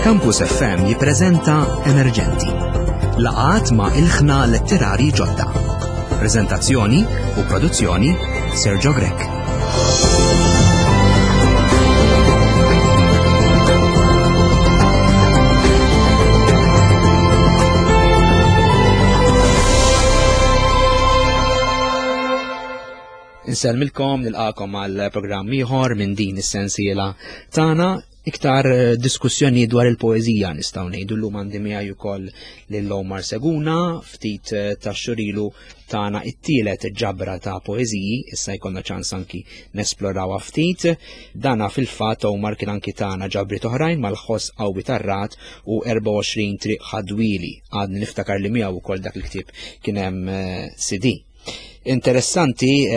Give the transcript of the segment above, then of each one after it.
Campus FM jippreżenta Emerġenti. Laqat ma' ilħna letterari ġodda. Preżentazzjoni u produzzjoni Sergio Grech. Insellmilkom nilqakom għal programm ieħor minn din is-sensiela tagħna iktar eh, diskussjoni dwar il-poeżija nistgħu ngħidu llum għandi miegħi wkoll lil Omar Seguna ftit eh, ta' xurilu tagħna it-tielet ġabra ta' poeżiji, issa jkollna ċans anki nesplorawha ftit. Dana fil-fatt Omar kien anki tagħna ġabriet oħrajn mal-ħoss qawwi tar-rat u 24 triq ħadwili. Għadni niftakar li miegħu wkoll dak il-ktieb kien hemm eh, CD. Interessanti,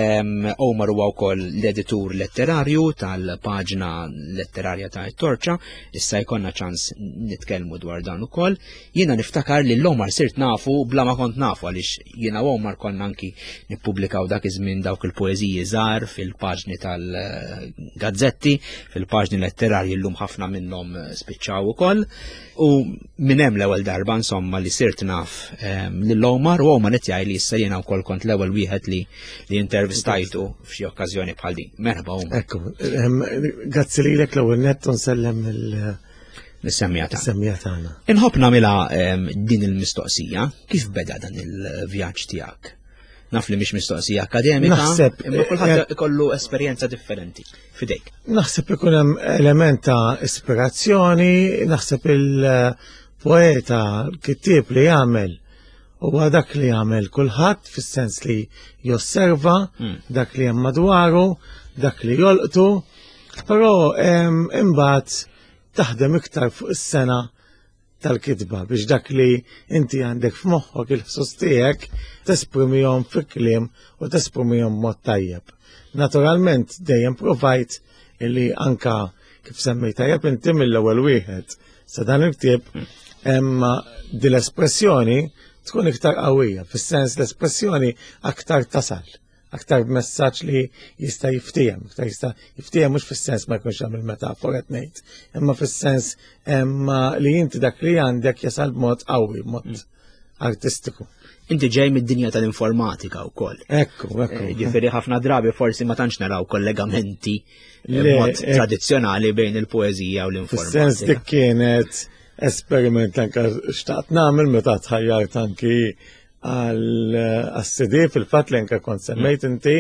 Omar huwa wkoll l-editur letterarju tal-paġna letterarja ta' Torċa, issa jkollna ċans nitkellmu dwar dan ukoll. Jiena niftakar li l-Omar sirt nafu bla ma kont nafu għaliex jiena u Omar konna anki nippubblikaw dak iż-żmien dawk il-poeżiji żgħar fil-paġni tal-gazzetti, fil-paġni letterarji llum ħafna minnhom spiċċaw ukoll. U minn hemm l-ewwel darba insomma li sirt naf ehm, lil Omar u Omar qed jgħid li issa jiena wkoll kont l-ewwel wieħed li li intervistajtu f'xi okkażjoni bħal din. Merħba Omar. Ekku, ehm, grazzi lilek l-ewwel nett nsellem il Nissemmija tagħna. Semmija tagħna. Inħobb nagħmilha ehm, din il-mistoqsija, kif beda dan il-vjaġġ tiegħek? Naf li mhix mistoqsija akademika, Naħseb imma kulħadd eh, ikollu esperjenza differenti fidejk. Naħseb ikun hemm element ta' ispirazzjoni, naħseb il-poeta, l-kittieb li jagħmel huwa dak li jagħmel kulħadd fis-sens li josserva hmm. dak li hemm madwaru, dak li jolqtu, però imbagħad taħdem iktar fuq is-sena tal-kitba biex dak li inti għandek f'moħħok il-ħsus tiegħek tesprimihom fi kliem u tesprimihom mod tajjeb. Naturalment dejjem provajt illi anka kif semmejt tajjeb inti mill-ewwel wieħed sa dan il-ktieb imma din l-espressjoni tkun iktar qawwija, fis-sens l-espressjoni aktar tasal aktar b'messaġġ li jista' jiftiehem, aktar jista' jiftiehem mhux fis-sens ma jkunx hemm il-metafora qed ngħid, imma fis-sens li inti dak li għandek jasal b'mod qawwi, b'mod mm. artistiku. Inti ġej mid-dinja tal-informatika wkoll. Ekku, ekku. Eh, ġifieri ħafna drabi forsi ma tantx naraw kollegamenti eh, mod eh, tradizzjonali bejn il-poeżija u l-informatika. Fis-sens dik kienet esperiment anka xtaqt nagħmel meta tħajjart anki għal-CD fil-fat li anka kont semmejt mm. inti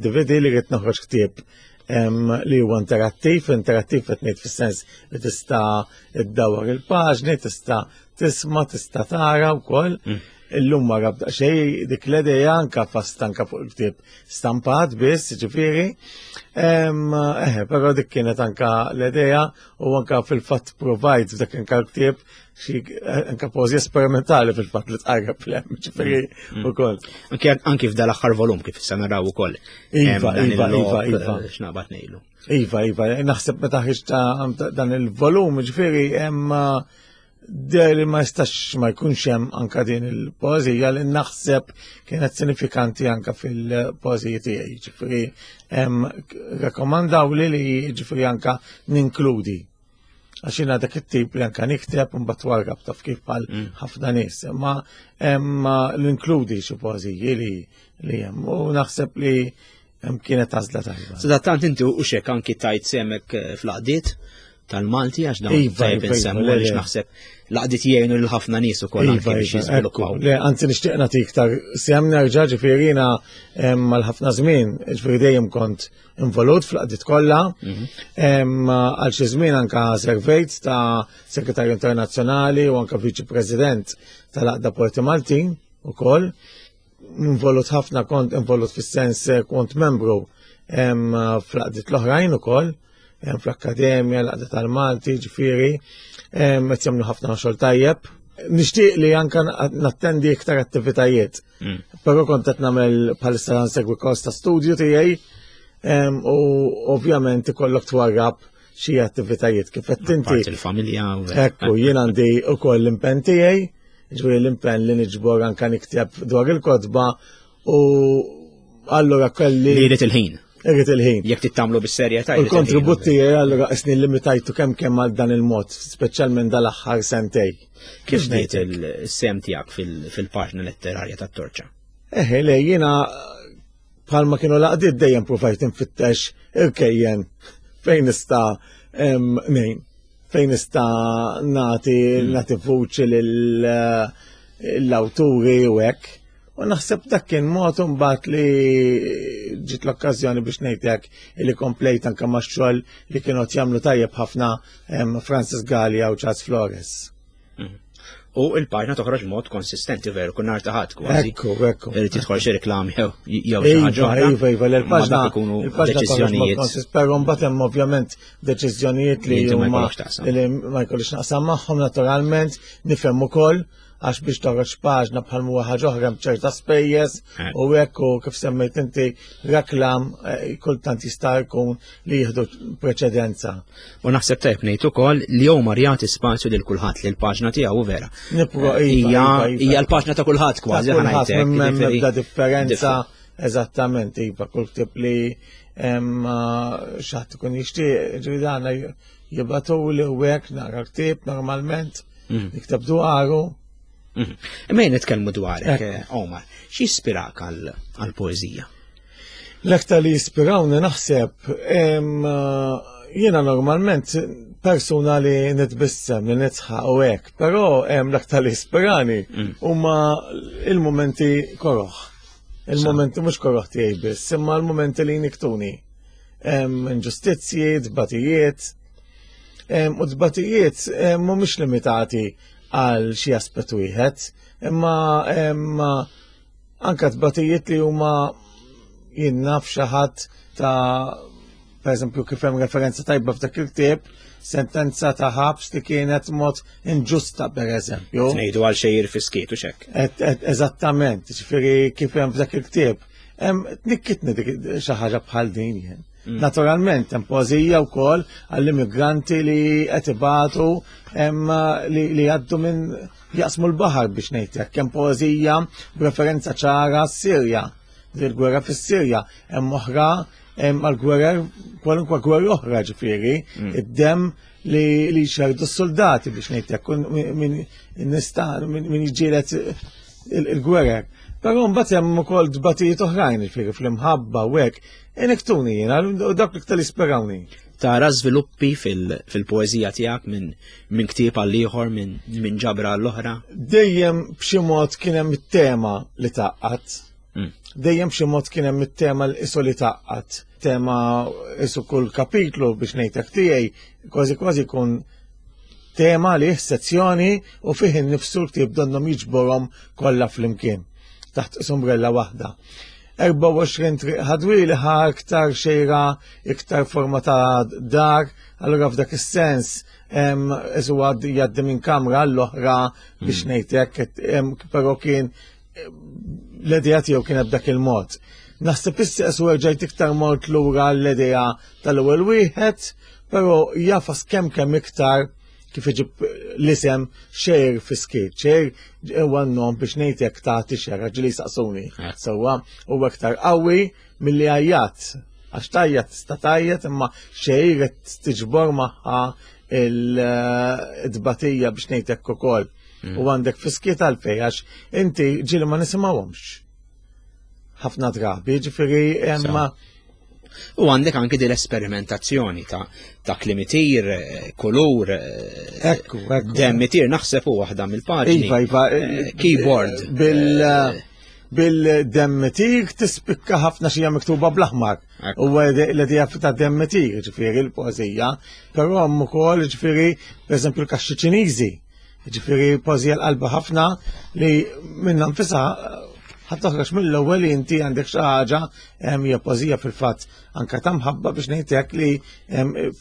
DVD li rrid noħroġ ktieb li huwa interattiv, interattiv qed ngħid fis-sens li tista' iddawwar il-paġni, tista' tisma', tista' tara wkoll. Mm. Illum ma rabda xej dik l-idea anka fast anka fuq il-ktieb stampat biss, ġifieri. Eh, però dik kienet anka l-idea u anka fil-fatt provajt f'dak anka l-ktieb xi eh, anka pożi esperimentali fil-fatt li tqarreb lem, ġifieri mm, mm. ukoll. Anki anki f'dal aħħar volum kif issa naraw ukoll. Iva, iva, iva, iva. Eh, x'naqbad ngħidu. Iva, iva, naħseb meta ħriġ ta' dan il-volum, ġifieri hemm der li ma jistax ma jkunx hemm anka din il-poeżija li naħseb kienet sinifikanti anka fil-poeżiji tiegħi, ġifieri hemm rakkomandaw li li ġifieri anka ninkludi Għax jiena dak it-tip li anka nikteb u mbagħad warrab taf kif bħal mm. ħafna nies. Imma l-inkludi xi poeżiji li li hemm u naħseb li hemm kienet għażla tajba. Sadattant inti u xek anki tajt semek eh, fl-qdiet tal-Malti għax dawn iva, tajb iva, insemmu iva, għaliex naħseb laqdiet jgħinu lil ħafna nies ukoll iva, anke biex jiżviluppaw. Le, anzi nixtieq nagħti iktar sem nerġa' ġifieri jiena mal ħafna żmien, ġifieri dejjem kont involut fl-qdiet kollha. Mhm. Għal xi żmien anka servejt ta' Segretarju Internazzjonali u anka Viċi President tal-Aqda Porti Maltin ukoll. Involut ħafna kont involut fis-sens eh, kont membru fl-qdiet l-oħrajn ukoll fl-Akkademja, l-Qda tal-Malti, ġifieri, qed jagħmlu ħafna xogħol tajjeb. Nixtieq li anka nattendi iktar attivitajiet. Mm. Però kont qed nagħmel bħalissa nsegwi kors ta' studju tiegħi u ovvjament ikollok twarrab xi attivitajiet kif qed inti. Il-familja. Ekku, jien għandi wkoll l-impenn tiegħi, ġifieri l-impenn li niġbor anka nikteb dwar il-kotba u allura kelli. Li jrid il-ħin. Irrid il-ħin. Jekk tittamlu bis-serjetà. Il-kontribut tiegħi allura qisni limitajtu kemm kemm għal dan il-mod, speċjalment dal-aħħar sentej. Kif bdiet il-sem tiegħek fil-paġna letterarja tat-Torċa? Eħe, le jiena bħalma kienu laqdiet dejjem provajt infittex irkejjen fejn nista' nejn, fejn nista' nagħti hmm. nagħti vuċi lill-awturi u hekk. U naħseb dak kien mod imbagħad li ġiet l-okkażjoni biex ngħidlek li komplejt anke max-xogħol li kienu qed jagħmlu tajjeb ħafna Francis Gallia u Charles Flores. Mhm. U il-paġna toħroġ mod konsistenti veru, kun nar taħat kważi. Ekku, ekku. Irid tidħol xi reklam jew jew xi iva, ħaġa. Iva, iva, l-paġna ikunu deċiżjonijiet. Però mbagħad hemm ovvjament deċiżjonijiet li huma li ma jkollix naqsam magħhom naturalment, nifhem ukoll għax biex toħroġ paġna bħal huwa ħaġa oħra b'ċerta spejjeż eh. u hekk u kif semmejt inti reklam eh, kultant jista' jkun li jieħdu preċedenza. U naħseb tajb ngħid ukoll li Omar jagħti spazju lil kulħadd li l-paġna tiegħu vera. Nipro eh, iva, iva, iva. Hija l-paġna ta' kulħadd kważi ħanajtek. M'hemm differenza eżattament iva kull tip li xaħat ikun jixtieq ġridana jibatu li u hekk nara ktieb normalment. Mm. Nikteb dwaru. Mm. Imma jien nitkellmu dwarek, eh, Omar, xi jispirak għall-poeżija? L-aktar li jispirawni naħseb, eh, jiena normalment persuna li nitbissem, li nitħaq u hekk, però l-aktar li jispirani mm. huma il-momenti koroħ. Il-momenti mhux koroħ tiegħi biss, imma l-momenti li niktuni. Inġustizzji, tbatijiet, U tbatijiet mhumiex limitati għal xi aspett wieħed, imma anka tbatijiet li huma jien naf xi ħadd ta' per eżempju kif hemm referenza tajba f'dak il-ktieb, sentenza ta' ħabs li kienet mod inġusta per eżempju. Ngħidu għal xejjer fiskiet u xek. Eżattament, ġifieri kif hemm f'dak il-ktieb. Tnikkitni dik xi ħaġa bħal din jien. Mm. Naturalment, hemm poeżija wkoll għall-immigranti li qed ibatu li jgħaddu minn jaqsmu l-baħar biex ngħid hekk. Hemm poeżija b'referenza ċara s-Sirja, il-gwerra fis-Sirja, hemm oħra għal-gwerra kwalunkwe gwerra oħra ġifieri, mm. id-dem li li xerdu s-soldati biex ngħid hekk min nista' min jiġġieled il-gwerer. Però mbagħad hemm ukoll tbatijiet oħrajn ġifieri fl-imħabba u hekk. Inektuni jiena u dak l-iktar jisperawni. Tara żviluppi fil-poeżija tiegħek minn min ktieb għal ieħor minn min ġabra għall oħra? Dejjem b'xi mod kien hemm it-tema li taqqat. Mm. Dejjem b'xi mod kien hemm it-tema li isu li taqqat. Tema isu kull kapitlu biex ngħidlek tiegħi kważi kważi jkun tema li sezzjoni u fih innifsu l-ktieb donnhom jiġborhom kollha flimkien taħt umbrella waħda. 24 triq ħadwili ħa iktar xejra, iktar forma ta' dar, allura f'dak is-sens isu jgħaddi minn kamra l-oħra biex hmm. ngħid hekk, però kien l-idea tiegħu kienet b'dak il-mod. Naħseb issa isu rġajt iktar mort lura l-idea tal-ewwel wieħed, però jafas kemm kemm iktar kif iġib l-isem xejr fiskiet, xejr huwa n-nom biex ngħid jekk tagħti xera ġili saqsuni. Eh. Sewwa huwa iktar qawwi milli għajjat. Għax tajjat tista' tajjat imma xejr qed tiġbor magħha il-tbatija biex ngħid hekk ukoll. Mm. U għandek fiskiet għalfej għax inti ġili ma nisimgħuhomx. Ħafna drabi, ġifieri imma U għandek anki din l-esperimentazzjoni ta' ta' klimitir, eh, kulur, eh, ekku, ekku. Demmitir naħseb u waħda mill-paġni. Iva, iva, eh, keyboard. Bil bil-demmitir tispikka ħafna xija miktuba bl-aħmar. U l-idea ta' demmitir, ġifieri l-poezija, però hemm ukoll ġifieri, pereżempju l-kaxxi Ċiniżi. Ġifieri poeżija l-qalba ħafna li minna nfisha ħadd toħroġ mill-ewwel li inti għandek xi ħaġa hija poeżija fil-fatt anke ta' mħabba biex ngħidlek li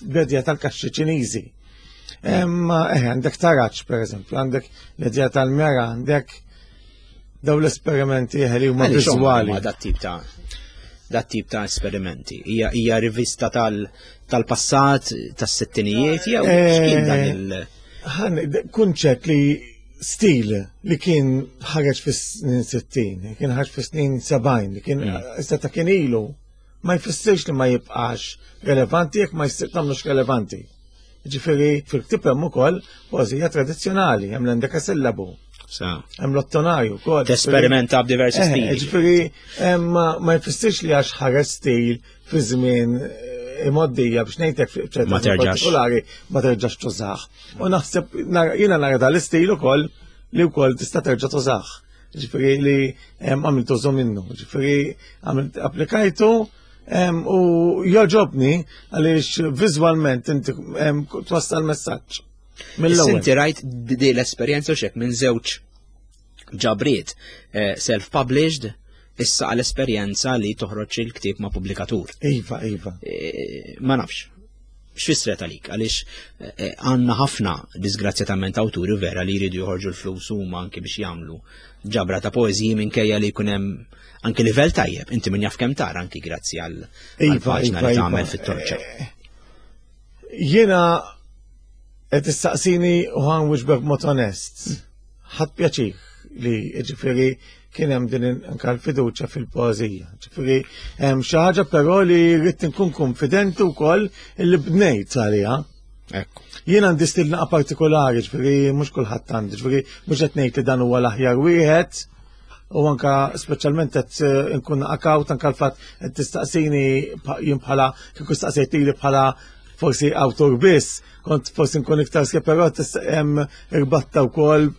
bledja tal-kaxxi Ċiniżi. Eh, għandek taraġ pereżempju, għandek l-idea tal-mera, għandek daw l-esperimenti li huma viżwali. Dat tip ta' dat tip ta' esperimenti. Hija rivista tal-passat, tas-sittinijiet, jew eh, x'kien dan il- Kunċett li stil li kien ħareġ fis-snin 60, kien ħareġ fis-snin 70, li kien mm. issa ta' kien ilu. Ma jfissirx li ma jibqax relevanti jekk ma jsir tagħmlux relevanti. Ġifieri fil-ktieb hemm ukoll poeżija tradizzjonali, hemm l-endekasillabu. Hemm l-ottonarju wkoll. Tesperimenta b'diversi eh, stili. Ġifieri ma jfissirx li għax ħareġ stil fi żmien eh, imoddija biex ngħidlek ċerta partikolari ma terġax tużah. U naħseb jiena nara dal-istil ukoll li wkoll tista' terġa' tużah. Ġifieri li għamilt użu minnu, ġifieri għamilt applikajtu u joġobni għaliex viżwalment inti twassal messaġġ. Mill-ewwel. Inti rajt di l-esperjenza xek minn żewġ ġabriet eh, self-published issa għal esperjenza li toħroġ il-ktieb ma' pubblikatur. Iva, iva. Eh, ma nafx. X'fissret għalik? Għaliex eh, għandna ħafna disgrazzjatament awturi vera li jridu joħorġu l-flus huma anki biex jagħmlu ġabra ta' poeżiji minkejja li jkun hemm anki livell tajjeb, inti min jaf kemm tara anki grazzi għal iva, paġna iva, li iva. tagħmel fit-torċa. Eh, jiena qed issaqsini u ħan wiġbek mod onest. Ħadd pjaċir li ġifieri kien hemm din anka l-fiduċja fil-poeżija. Ġifieri hemm xi ħaġa però li rrid inkun konfidenti wkoll li bnejt għaliha. Ekku. Jien għandi stil naqa partikolari, ġifieri mhux kulħadd għandi, ġifieri mhux qed ngħid li dan huwa l-aħjar wieħed, u anka speċjalment qed eh, nkun akawt anka l-fatt qed tistaqsini jien bħala kieku staqsejt lili bħala forsi awtur biss, kont forsi nkun iktar skep, però hemm irbatta wkoll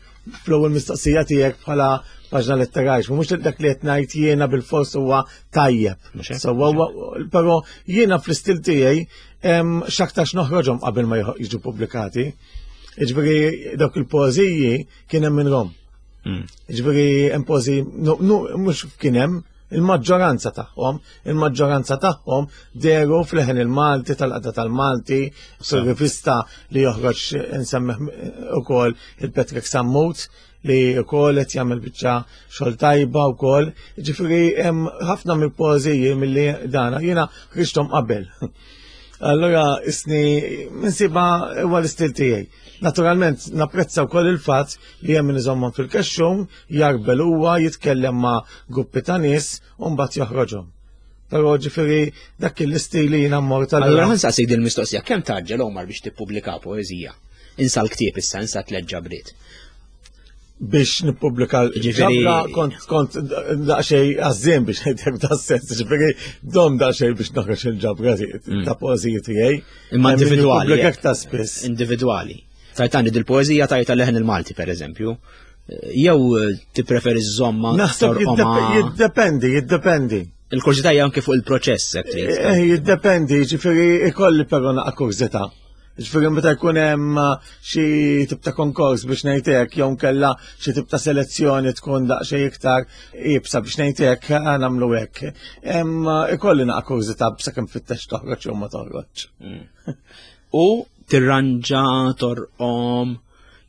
fl-ewwel mistoqsija tiegħek bħala paġna letterarja, mhux dak li qed ngħid jiena bil-fors huwa tajjeb. Sewwa però jiena fl-istil tiegħi x'aktarx noħroġhom qabel ma jiġu pubblikati. Jiġifieri dawk il-poeżiji kien hemm minnhom. Hmm. Jiġifieri hemm poeżiji mhux kien hemm il-maġġoranza tagħhom, il-maġġoranza tagħhom deru fl-ħen il-Malti tal-qada tal-Malti, fil-rivista li joħroġ insemmih ukoll il-Patrick Sammut li wkoll qed jagħmel biċċa xogħol tajba wkoll. Ġifieri hemm ħafna mill-poeżiji milli dana jiena ħriġthom qabel. Allora isni minsiba huwa l-istil tiegħi. Naturalment napprezza wkoll il-fatt li hemm min iżommhom fil-kexxun, jarbel huwa jitkellem ma' gruppi ta' nies u mbagħad joħroġhom. Però ġifieri dak l-istil li jiena mmur tal Allura ħa nsaqsik din il-mistoqsija, kemm taġġel Omar biex tippubblika poeżija? Insa l-ktieb issa, insa tliet ġabriet. Biex nippubblika l-ġabra kont kont daqsxejn għażżien biex ngħidlek da sens, ġifieri dom daqsxejn biex noħroġ il-ġabra mm. ta' poeżiji tiegħi. Imma individwali. Ta' spiss. Individwali. Tajtani dil-poeżija tajta leħen il-Malti per eżempju. Jew eh, tippreferi żomma. Naħseb jiddependi, jiddependi. Il-kurżità hija anke fuq il-proċess hekk trid. Eh, eh, jiddependi, ġifieri ikolli però naqa' kurżità. Ġifieri meta jkun hemm xi tip ta' konkors biex ngħid hekk jew nkella xi tip ta' selezzjoni tkun daqsxejn iktar iebsa biex ngħid hekk nagħmlu hekk. Ikolli naqa' kurżità sakemm fittex toħroġ jew ma toħroġ. Mm. U tirranġa torqom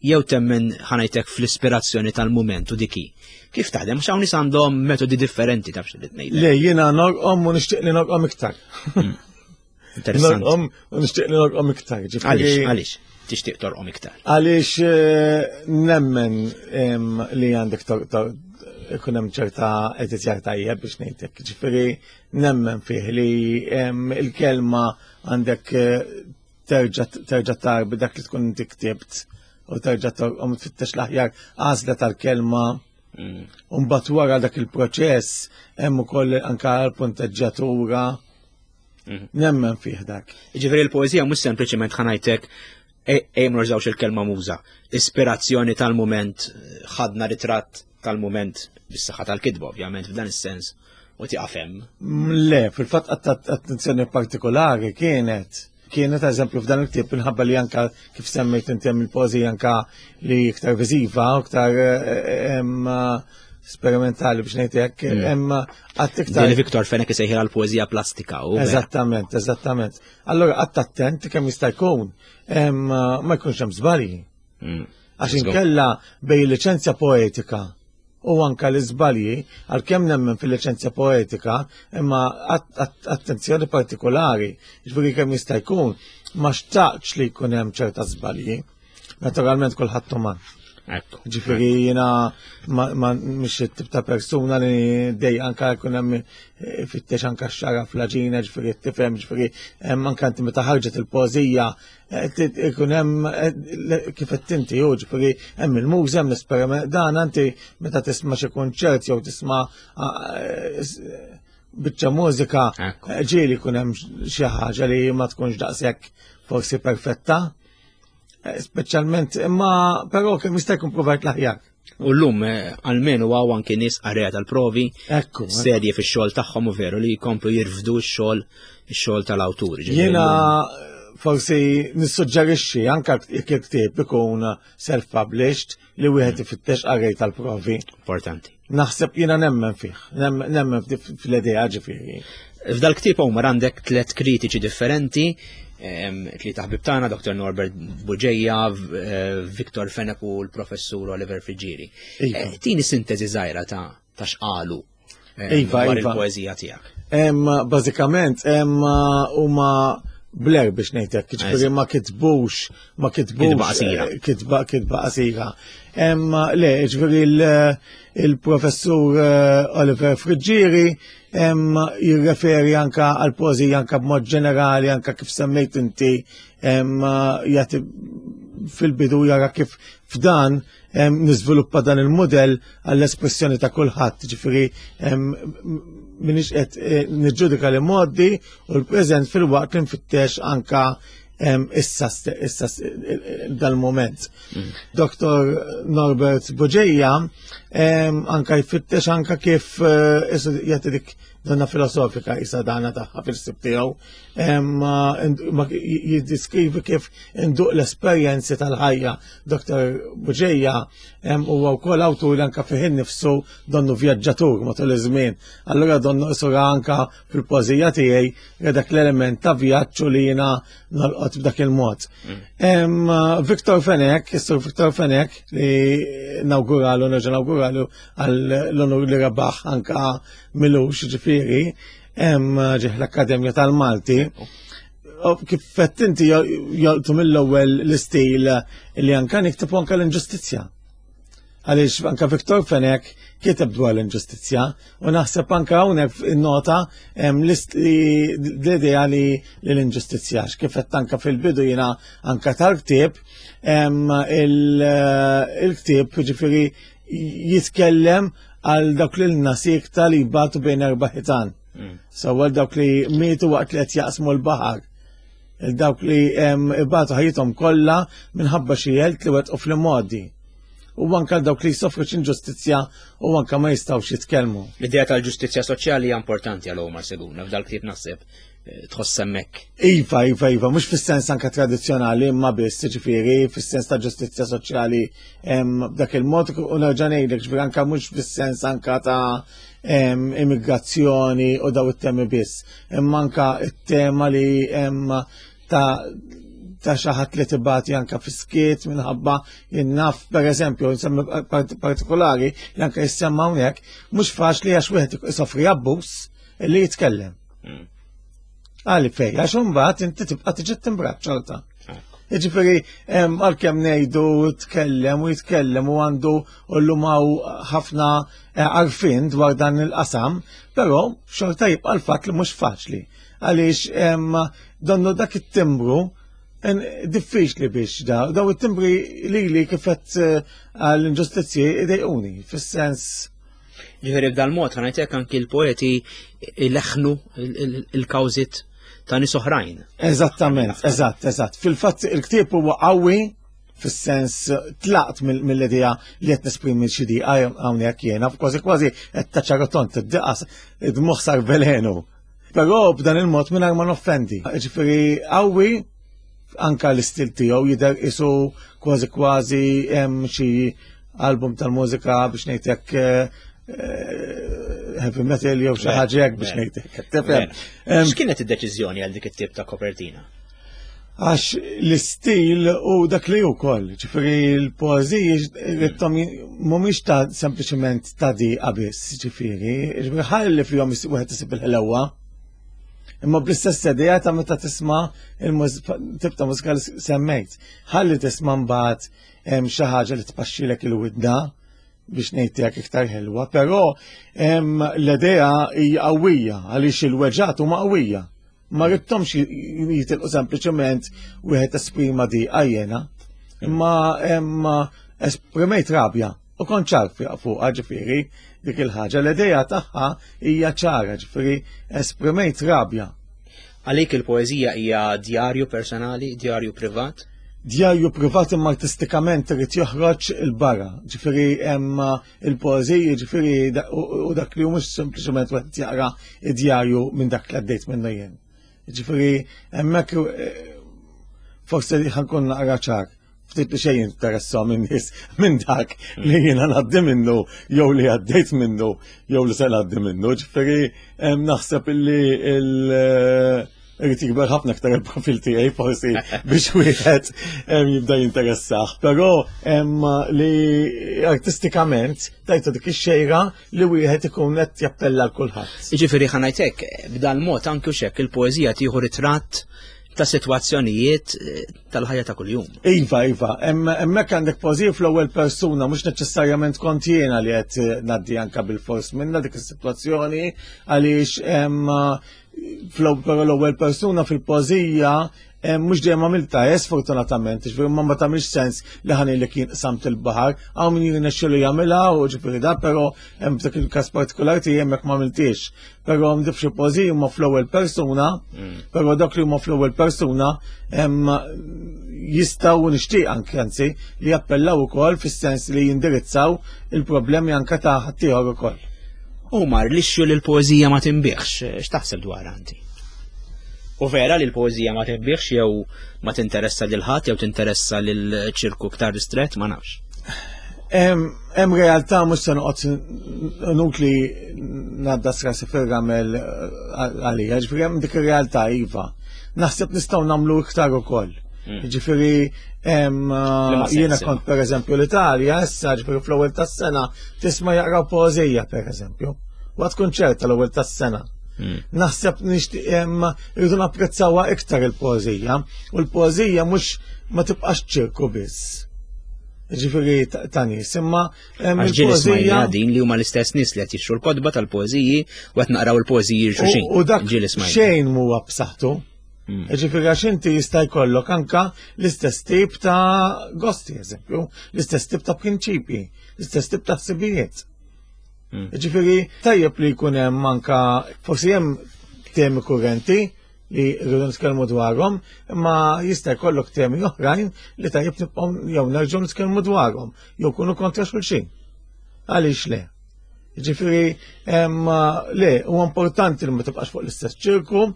jew temmen ħanajtek fl-ispirazzjoni tal-mument u diki. Kif taħdem? Għax hawn nies għandhom metodi differenti taf xi ngħidlek. Le, jiena norqom u nixtieq li norqom iktar. Hmm. Interessanti. Norqom u nixtieq li norqom iktar. Għaliex, għaliex tixtieq torqom iktar? Għaliex eh, nemmen li għandek ikun hemm ċerta editjar tajjeb biex ngħidlek. Ġifieri nemmen fih li il-kelma għandek eh, terġa' terġa' tarbi dak li tkun inti ktibt u terġa' torqom tfittex l-aħjar għażla tal-kelma. Mm. Mbagħad wara dak il-proċess hemm ukoll anke l-punteġġjatura. Mm. Nemmen fih dak. Ġifieri l-poeżija mhux sempliċement ħanajtek ejjem nużawx il-kelma muża. Ispirazzjoni tal-mument, ħadna ritratt tal-mument bis-saħħa tal-kitba ovvjament f'dan is-sens u tieqaf hemm. Le, fil-fatt attenzjoni partikolari kienet kienet eżempju f'dan il-ktieb minħabba li anka kif semmejt inti hemm il-poeżija anka li iktar viżiva, iktar eh, sperimentali biex ngħid hekk, mm. hemm qatt iktar. Din Viktor Fenek isejħilha l-poeżija plastika u. Eżattament, eżattament. Allora qatt attent kemm jista' jkun ma jkunx hemm żbalji. Mm. Għax inkella bej liċenzja poetika u anka l-iżbalji, għalkemm nemmen fil-liċenzja poetika, imma attenzjoni partikolari, ġifieri kemm jista' jkun, ma xtaqx li jkun hemm ċerta żbalji. Naturalment kulħadd uman. Ġifieri jiena ma mhix it-tip ta' persuna li dej anka jkun hemm eh, fittex anka xara fl-aġina, ġifieri tifhem, ġifieri hemm anka inti meta ħarġet il-poeżija eh, ikun hemm eh, kif qed inti hu, ġifieri hemm il-muża, hemm l-esperiment dan anti meta tisma' xi kunċert jew tisma' biċċa mużika ġieli jkun hemm xi ħaġa li ma tkunx daqshekk forsi perfetta. Eh, speċjalment, imma però kemm jista' jkun provajt l-aħjar. U llum eh, almenu għaw anki nies qarrejja tal-provi, Ekku, eh. serji fix-xogħol tagħhom u veru li jkomplu jirfdu x-xogħol ix-xogħol tal-awtur. Jiena forsi nissuġġerixxi anke jekk il-ktieb ikun self-published li wieħed ifittex qarrej tal-provi. Importanti. Naħseb jiena nemmen fih, nemmen fl-idea ġifieri. F'dal ktieb Omar għandek tlet kritiċi differenti, tlieta ħbib tagħna, Dr. Norbert Buġeja, eh, Victor Fenech u l-Professur Oliver Friġieri. Iva. Eh, tini sintesi żgħira ta' ta' x'qalu eh, iva, dwar iva. il-poeżija tiegħek. Bażikament, huma bler biex ngħidlek, ġifieri ma kitbux, ma kitbux. Kitba qasira. Kitba, kitba qasira. Le, ġifieri il-professur Oliver Friggieri jirreferi anka għal poeżija anka b'mod ġenerali, anka kif semmejt inti jagħti fil-bidu jara kif f'dan niżviluppa dan il-modell għall-espressjoni ta' kulħadd, ġifieri minix qed eh, niġġudika li modi u l-preżent fil-waqt li nfittex anka issa issa dal-moment. Mm. Dr. Norbert Buġeja anka jfittex anka kif eh, jagħti dik donna filosofika isa dana tagħha fil-sib tiegħu ma jiddiskrivi kif induq l-esperjenzi tal-ħajja. Dr. Buġeja huwa wkoll awtur li anka fih innifsu donnu vjaġġatur matul iż-żmien. Allura donnu isura anka fil-pożija tiegħi dak l-element ta' vjaġġ li jiena nolqot b'dak il-mod. Mm. Victor Fenek, is-sur Victor Fenek li nawguralu, nerġa' nawguralu għall-onur li rebaħ anka milux ġifieri, ġieħ l-Akkademja tal-Malti. Kif fett inti jolqtu mill-ewwel l-istil li anka nikteb anka l-inġustizzja. Għaliex anka Viktor Fenek kiteb dwar l-inġustizzja u naħseb anka hawnhekk innota l-idea li l-inġustizzja kif qed anka fil-bidu jiena anka tal-ktieb il-ktieb ġifieri jitkellem għal dawk li l-nasik li jbatu bejn erba' ħitan. Mm. Sewwa dawk li mietu waqt li qed jaqsmu l-baħar. Dawk li ibatu ħajjithom kollha minħabba xi għelt li wettqu fl-imgħoddi. U anke dawk li jsofru x'inġustizzja u anke ma jistgħux jitkellmu. L-idea tal-ġustizzja soċjali hija importanti għal Omar Seguna f'dal-ktieb naħseb eh, tħoss hemmhekk. Iva, iva, iva, mhux fis-sens anke tradizzjonali imma biss, ġifieri fis-sens ta' ġustizzja soċjali b'dak il-mod u nerġa' ngħidlek ġifieri anke mhux fis-sens anke ta' immigrazzjoni u daw it-temi biss. Imma anka it-tema li ta' ta' xi ħadd li tibati anka fiskiet minħabba jinnaf per eżempju nsemmi partikolari li anka jissemma hawnhekk mhux faċli għax wieħed isofri abbuż li jitkellem. Mm. Għali fej, għax imbagħad inti tibqa' tiġi timbrat xorta. Jiġifieri għalkemm ngħidu tkellem u jitkellem u għandu u llum hawn ħafna eh, għarfien dwar dan il-qasam, però xorta jibqa' l-fatt li mhux faċli. Għaliex donnu dak it-timbru diffiċli biex da, daw it-timbri li li kifet eh, għall-inġustizzji idejquni, fis-sens Ġifieri b'dal-mod ħanajtek anki l-poeti leħnu il-kawżit ta' nies oħrajn. Eżattament, eżatt, eżatt. Fil-fatt il-ktieb huwa qawwi fis-sens tlaqt mill-idea li qed nesprimi xi diqa hawnhekk jiena, kważi kważi qed taċarotont id-diqa id-moħħ sar velenu. Però b'dan il-mod mingħajr ma noffendi. Ġifieri qawwi anka l-istil tiegħu jidher isu kważi kważi hemm xi album tal-mużika biex ngħidlek eh, eh, heavy metal jew xi ħaġa hekk biex ngħidlek. Tifhem. X'kienet id-deċiżjoni għal dik it-tip ta' kopertina? Għax l-istil u dak li wkoll, ġifieri l-poeżiji rittom mhumiex ta' sempliċement ta' diqa biss, ġifieri, ġifieri ħalli fihom wieħed isib il-ħelewa. Imma bl-istess idea ta' meta tisma' il-tip ta' mużika li semmejt. Ħalli tisma' mbagħad xi ħaġa li tpaxxilek il-widna biex ngħidlek iktar ħelwa, però l-idea hija qawwija għaliex il-weġgħat huma qawwija. Ma ridthomx jitilqu sempliċement wieħed esprima diqa jiena, imma esprimejt rabja u kont ċar fuqha ġifieri dik il-ħaġa. L-idea tagħha hija ċara ġifieri esprimejt rabja. Għalik il-poeżija hija djarju personali, djarju privat? Djarju privat imma artistikament irid joħroġ il-barra. Ġifieri hemm il-poeżiji, ġifieri u dak li mhux sempliċement wieħed jaqra id-djarju minn dak li għaddejt minnu jien. Ġifieri hemmhekk eh, forsi ħankun naqra ċar ftit li xejn interessahom in-nies minn dak li jiena ngħaddi minnu jew li għaddejt minnu jew li se ngħaddi minnu. Ġifieri naħseb illi il- eh, irid jikber ħafna aktar il-profil tiegħi forsi biex wieħed jibda jinteressah. Però li artistikament tajtu dik ix-xejra li wieħed ikun qed jappella l kulħadd. Jiġifieri ħa ngħid hekk, b'dan mod anke xek il-poeżija tieħu ritratt ta' sitwazzjonijiet eh, tal-ħajja ta' kuljum. Iva, iva, hemmhekk għandek poeżija fl-ewwel persuna, mhux neċessarjament kont jiena li qed eh, ngħaddi anka bil-fors minna dik is-sitwazzjoni għaliex fl-ewwel persuna fil-poeżija mhux dejjem għamilta eh, sfortunatament, ġifieri ma ma tagħmilx sens li ħani li kien samt il-baħar, hawn min jirnexxielu jagħmilha u ġifieri da, però hemm f'dak il-każ partikolari tiegħi hemmhekk ma għamiltiex. Però hemm xi poeżiji huma fl-ewwel persuna, mm. però dak li huma fl-ewwel persuna jistgħu nixtieq anke anzi li jappellaw ukoll fis-sens li jindirizzaw il-problemi anke ta' ħaddieħor ukoll. Omar, l-issue li l-poeżija ma tinbiħx, x'taħseb dwar anti? U vera li l-poeżija ma tinbiħx jew ma tinteressa lil ħadd jew tinteressa lil ċirku iktar ristret, ma nafx. Hemm realtà mhux se noqgħod nutli ngħadda rasi fir-ramel għalija, ġifieri hemm dik ir-realtà iva. Naħseb nistgħu nagħmlu iktar ukoll. Mm. Ġifieri jiena kont pereżempju l-Italja, issa ġifieri fl-ewwel tas-sena tisma' jaqraw poeżija pereżempju. Waqt kunċert tal-ewwel tas-sena. Mm. Naħseb nixtieq irridu napprezzawha iktar il-poeżija u l-poeżija mhux ma tibqax ċirku biss. Ġifieri ta' nies, imma Għax ġieli smajna din li huma l-istess nies li qed jixtru l-kotba tal-poeżiji u qed naqraw il-poeżiji xulxin. U dak xejn huwa b'saħħtu. Mm. Ġifieri għax inti jista' jkollok anka l-istess tip ta' gosti, eżempju, l-istess tip ta' prinċipji, l-istess tip ta' ħsibijiet. Mm. Ġifieri tajjeb li jkun hemm anka forsi hemm temi kurrenti li rridu nitkellmu dwarhom, imma jista' jkollok temi oħrajn li tajjeb nibqgħu jew nerġgħu nitkellmu dwarhom, jew kunu kontra xulxin. Għaliex le? Ġifiri, le, u importanti li ma tibqax fuq l-istess ċirku,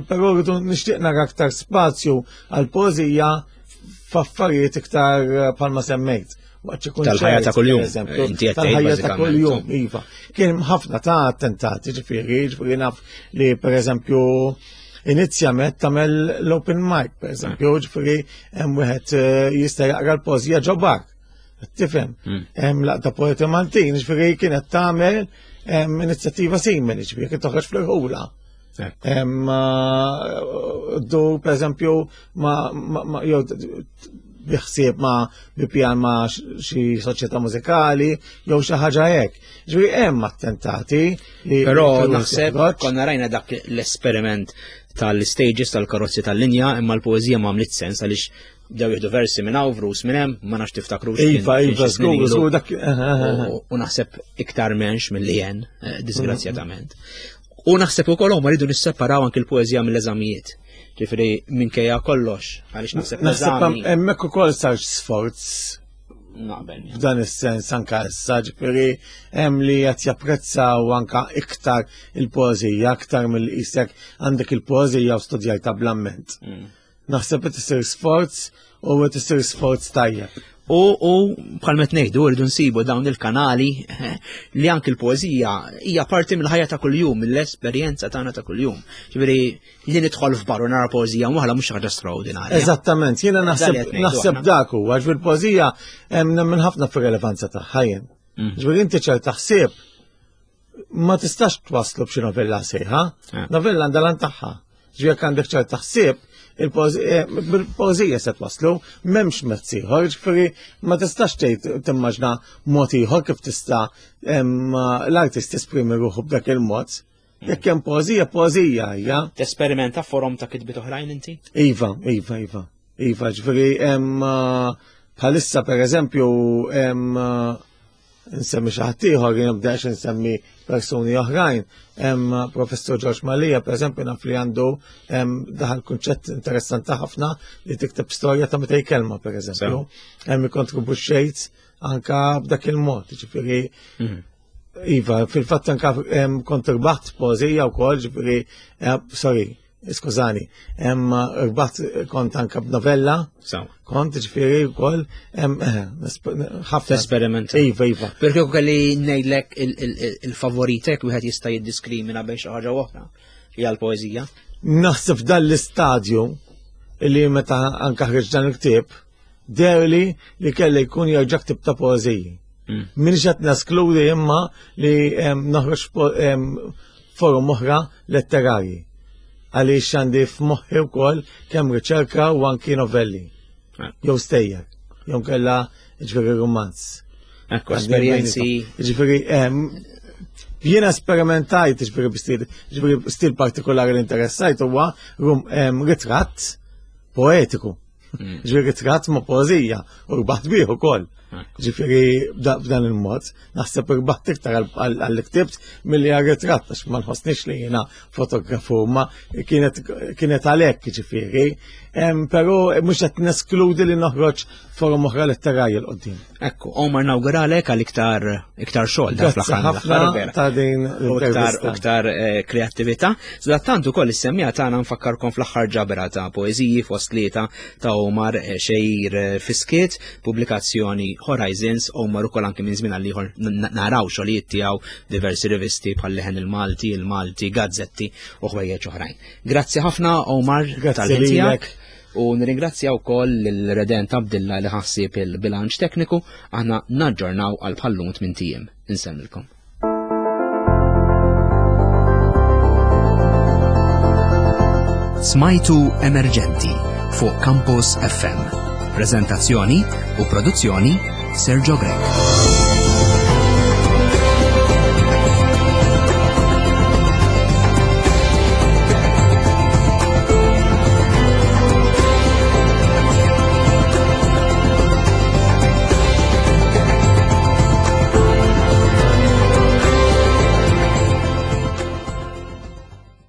però rridu nixtieq nara aktar spazju għal pożija f'affarijiet iktar eh, bħalma semmejt. Tal-ħajja ta' kuljum. Tal-ħajja ta' kuljum, iva. Kien ħafna ta' attentati, ġifieri, ġifieri naf li per eżempju inizjament tagħmel l-open mic, per eżempju, ġifieri hemm wieħed eh, jista' jaqra l-pożija ġobak. Tifhem, hmm. hemm laqta poeti Maltin, ġifieri kienet tagħmel inizjattiva simili, ġifieri kien toħroġ fl-irħula. Eh, du, per eżempju, ma jew biħsieb ma bi pjan ma xi soċjetà mużikali jew xi ħaġa hekk. Ġifieri hemm attentati li Però naħseb konna rajna dak l-esperiment tal-stages tal-karozzi tal-linja imma l-poeżija ma għamlit sens għaliex bdew jieħdu versi minn hawn, vrus minn hemm, ma nafx tiftakru. Iva, iva, żgur, żgur dak. U naħseb iktar menx milli jen, eh, disgrazzjatament. U naħseb ukoll huma rridu nisseparaw anki l-poeżija mill-eżamijiet. Ġifieri minkejja kollox, għaliex naħseb Naħseb hemmhekk ukoll sar sforz Naqbel. F'dan is-sens anka issa ġifieri hemm li qed japprezzaw anka iktar il-poeżija aktar mill-qisek għandek il-poeżija u studjajta bl-amment. Mm. Naħseb qed isir sforz u qed isir sforz tajjeb. U, u bħal met ngħidu rridu nsibu dawn il-kanali li anki l-poeżija hija parti mill-ħajja ta' kuljum, mill-esperjenza tagħna ta' kuljum. Ġifieri li nidħol f'bar u nara poeżija waħla mhux ħaġa straordinarja. Eżattament, jiena naħseb naħseb dak huwa għax fil-poeżija hemm nemmen ħafna fir-relevanza tagħha jien. Mm. Ġifieri inti ċerta ħsieb ma tistax twaslu b'xi novella sejħa. Eh. Novella għandha lan tagħha. Ġifieri jekk għandek ċerta ħsieb, il-poeżija se twaslu, m'hemmx mezz ieħor, ġifieri ma tistax tgħid timmaġna mod ieħor kif tista' l-artist tesprimi ruħu b'dak il-mod. Jekk hemm poeżija, poeżija hija. Tesperimenta forom ta' kitbiet oħrajn inti? Iva, iva, iva. Iva, ġifieri hemm bħalissa pereżempju hemm nsemmi xi ħadd ieħor, jien nibdax insemmi persuni oħrajn. Hemm Professur George Mallia, pereżempju, naf li għandu daħal kunċett interessanti ħafna li tikteb storja ta' 200 kelma, pereżempju. Hemm ikkontribwixxejt anka b'dak il-mod, ġifieri mhm. Iva, fil-fatt anka kont irbaħt poeżija wkoll, ġifieri, eh, sorry, skużani, rbaħt kont anka b'novella, kont ġifieri wkoll, eh, ħafna. Esperiment. Iva, iva. Perché kelli ngħidlek il-favoritek wieħed jista' jiddiskrimina bejn xi ħaġa oħra hija l-poeżija. Naħseb f'dan l-istadju li meta anka ħriġ dan il-ktieb, derli li kelli jkun jerġa' ktib ta' poeżiji. Mm. Minix qed neskludi imma li noħroġ forum oħra letterarji. Għaliex għandi f'moħħi wkoll kemm riċerka u anki novelli. Ah. Jew stejjer, jew kella ġifieri romanz. Ekku, esperjenzi. Ġifieri jiena esperimentajt ġifieri b'stil, ġifieri stil partikolari li interessajt huwa ritratt poetiku. Mm. Ġifieri ritratt ma' poeżija u rbaħt bih ukoll. Ġifieri b'dan il-mod, naħseb irbaħt iktar għall-ktibt milli għal-ritratt għax ma nħossniex li jiena fotografu ma kienet għalhekk ġifieri. Però mhux qed neskludi li noħroġ forum oħra letterarja l-qoddim. Ekku, Omar nawguralek għal iktar iktar xogħol da fl-aħħar. Ta' din iktar iktar eh, kreattività. Sadattant ukoll is-semmija tagħna nfakkarkom fl-aħħar ġabra ta' poeżiji fost tlieta ta' Omar eh, Xejr eh, Fiskiet, pubblikazzjoni Horizons, Omar ukoll anke minn żmien għal ieħor naraw xogħlijiet tiegħu diversi rivisti bħal Leħen il-Malti, il-Malti, gazzetti u ħwejjeġ oħrajn. Grazzi ħafna Omar tal-ħin tiegħek. U nirringrazzja wkoll lil Redent Abdilla li ħassib il-bilanċ tekniku aħna naġġornaw għal bħallum tmien tiem. Insellmilkom. Smajtu Emerġenti fuq Campus FM. Prezentazzjoni u produzzjoni Sergio Grech.